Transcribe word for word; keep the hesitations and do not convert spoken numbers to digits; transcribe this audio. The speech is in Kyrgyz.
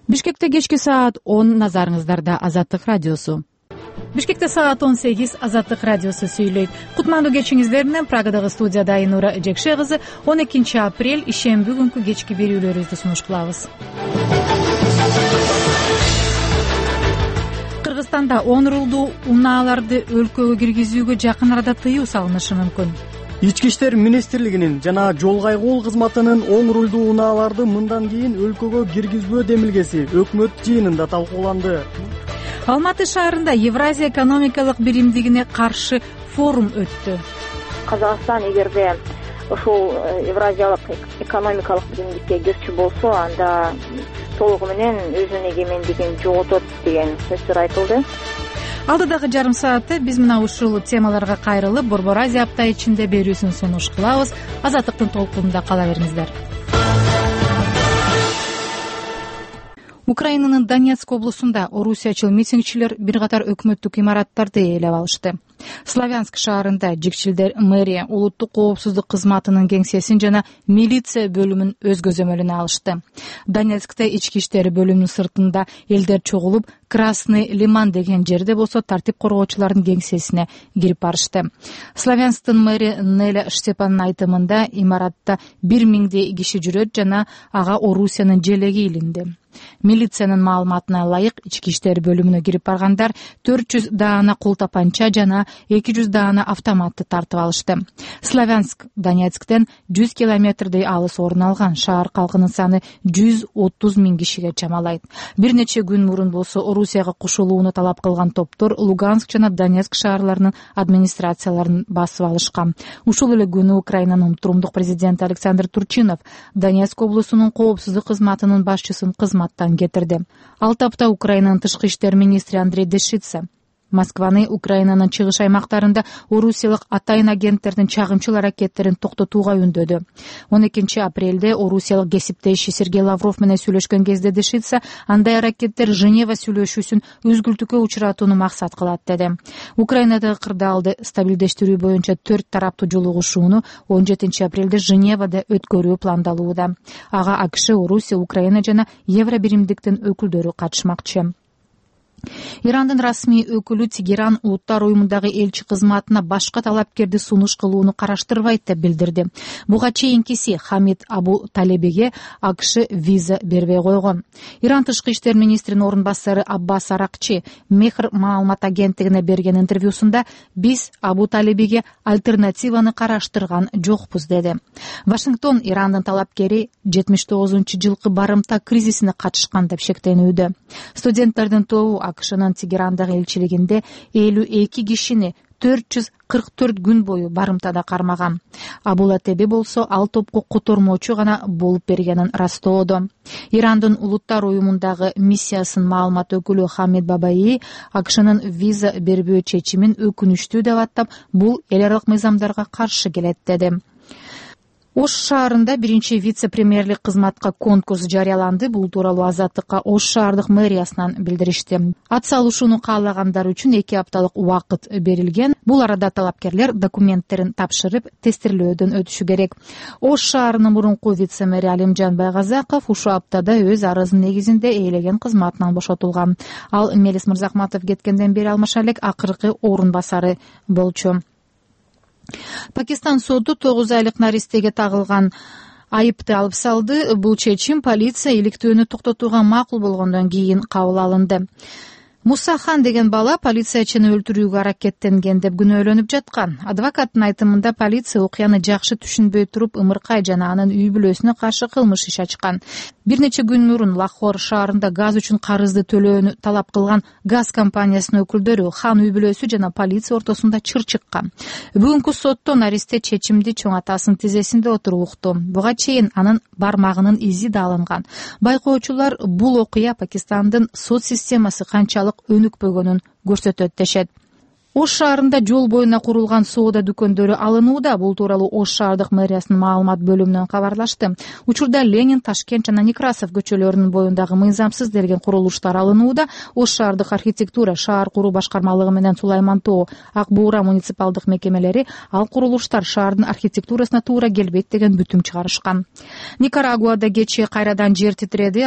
Бишкекте кечки саат он, назарыңыздарда Азаттык радиосу. Бишкекте саат он сегиз, Азаттык радиосу сүйлөйт. Кутмандуу кечиңиздер менен Прагадагы студияда Айнура Жекше кызы. он экинчи апрель ишемби күнкү кечки берүүлөрүбүздү сунуш кылабыз. Кыргызстанда он рулдуу унааларды өлкөгө киргизүүгө жакын арада тыюу салынышы мүмкүн. Ички иштер министрлигинин жана жол кайгоол кызматынын он рулдуу унааларды мындан кийин өлкөгө киргизбөө демилгеси өкмөт жыйынында талкууланды. Алматы шаарында Евразия экономикалык биримдигине каршы форум өттү. Казакстан эгерде ушул Евразиялык экономикалык биримдикке кирчү болсо, анда толугу менен өзүнүн эгемендигин жоготот деген сөздөр айтылды. Алдыдагы жарым саатта биз мына ушул темаларга кайрылып, Борбор Азия апта ичинде берүүсүн сунуш кылабыз. Азаттыктын толкунунда кала бериңиздер. Украинанын Донецк облусунда орусиячыл митингчилер бир катар өкмөттүк имараттарды ээлеп алышты. Славянск шаарында жигчилдер мэрия, улуттук коопсуздук кызматынын кеңсесин жана милиция бөлүмүн өз көзөмөлүнө алышты. Донецкте ички иштер бөлүмүнүн сыртында элдер чогулуп, Красный Лиман деген жерде болсо тартип коргоочулардын кеңсесине кирип барышты. Славянсктын мэри Неля Штепанын айтымында имаратта бир миңдей киши жүрөт жана ага Орусиянын желеги илинди. Милициянын маалыматына ылайык, ички иштер бөлүмүнө кирип баргандар төрт жүз даана кул тапанча жана эки жүз даана автоматты тартып алышты. Славянск Донецктен жүз километрдей алыс орун алган. Шаар калкынын саны жүз отуз миң кишиге чамалайт. Бир нече күн мурун болсо Орусияга кошулууну талап кылган топтор Луганск жана Донецк шаарларынын администрацияларын басып алышкан. Ушул эле күнү Украинанын турумдук президенти Александр Турчинов Донецк облусунун коопсуздук кызматынын башчысын кызматтан кетирди. Алты апта Украинанын тышкы иштер министри Андрей Дешица Москваны Украинанын чыгыш аймактарында орусиялык атайын агенттердин чагымчыл аракеттерин токтотууга үндөдү. он экинчи апрелде орусиялык кесиптеши Сергей Лавров менен сүйлөшкөн кезде Дешица андай аракеттер Женева сүйлөшүүсүн үзгүлтүккө учуратууну максат кылат деди. Украинадагы кырдаалды стабилдештирүү боюнча төрт тараптуу жолугушууну он жетинчи апрелде Женевада өткөрүү пландалууда. Ага АКШ, Орусия, Украина жана Евробиримдиктин өкүлдөрү катышмакчы. Ирандын расмий өкүлү Тегеран улуттар уюмундагы элчи кызматына башка талапкерди сунуш кылууну караштырбайт деп билдирди. Буга чейинкиси Хамид Абу Талебиге АКШ виза бербей койгон. Иран тышкы иштер министринин орун басары Аббас Аракчи Мехр маалымат агенттигине берген интервьюсунда биз Абу Талебиге альтернативаны караштырган жокпуз деди. Вашингтон Ирандын талапкери жетимиш тогузунчу жылкы барымта кризисине катышкан деп шектенүүдө. Студенттердин тобу АКШнын Тегерандагы элчилигинде элүү эки кишини төрт жүз кырк төрт күн бою барымтада кармаган. Абула Теби болсо ал топко котормочу гана болуп бергенин растоодо. Ирандын улуттар уюмундагы миссиясынын маалымат өкүлү Хамид Бабаи АКШнын виза бербөө чечимин өкүнүчтүү деп аттап, бул эл аралык мыйзамдарга каршы келет деди. Ош шаарында биринчи вице-премьерлик кызматка конкурс жарыяланды. Бул тууралуу Азаттыкка Ош шаардык мэриясынан билдиришти. Ат салышууну каалагандар үчүн эки апталык убакыт берилген. Бул арада талапкерлер документтерин тапшырып, тестирлөөдөн өтүшү керек. Ош шаарынын мурунку вице-мэри Алимжан Байгазаков ушул аптада өз арызынын негизинде ээлеген кызматынан бошотулган. Ал Мелис Мырзахматов кеткенден бери алмаша элек акыркы орун басары болчу. Пакистан соду тогуз айлык наристеге тагылган айыпты алып салды. Бул чечим полиция иликтөөнү токтотууга макул болгондон кийин кабыл алынды. Мусахан деген бала полициячыны өлтүрүүгө аракеттенген деп күнөөлөнүп жаткан. Адвокаттын айтымында полиция окуяны жакшы түшүнбөй туруп ымыркай жана анын үй бүлөсүнө каршы кылмыш иш ачкан. Бир нече күн мурун Лахор шаарында газ үчүн карызды төлөөнү талап кылган газ компаниясынын өкүлдөрү, хан үй бүлөсү жана полиция ортосунда чыр чыккан. Бүгүнкү сотто наристе чечимди чоң атасынын тизесинде отуруп укту. Буга чейин анын бармагынын изи да алынган. Байкоочулар бул окуя Пакистандын сот системасы канчалык өнүкпөгөнүн көрсөтөт дешет. Ош шаарында жол боюна курулган соода дүкөндөрү алынууда. Бул тууралуу Ош шаардык мэриясынын маалымат бөлүмүнөн кабарлашты. Учурда Ленин, Ташкент жана Некрасов көчөлөрүнүн боюндагы мыйзамсыз делген курулуштар алынууда. Ош шаардык архитектура, шаар куруу башкармалыгы менен Сулайман Тоо, Ак Буура муниципалдык мекемелери ал курулуштар шаардын архитектурасына туура келбейт деген бүтүм чыгарышкан. Никарагуада кечээ кайрадан жер титиреди.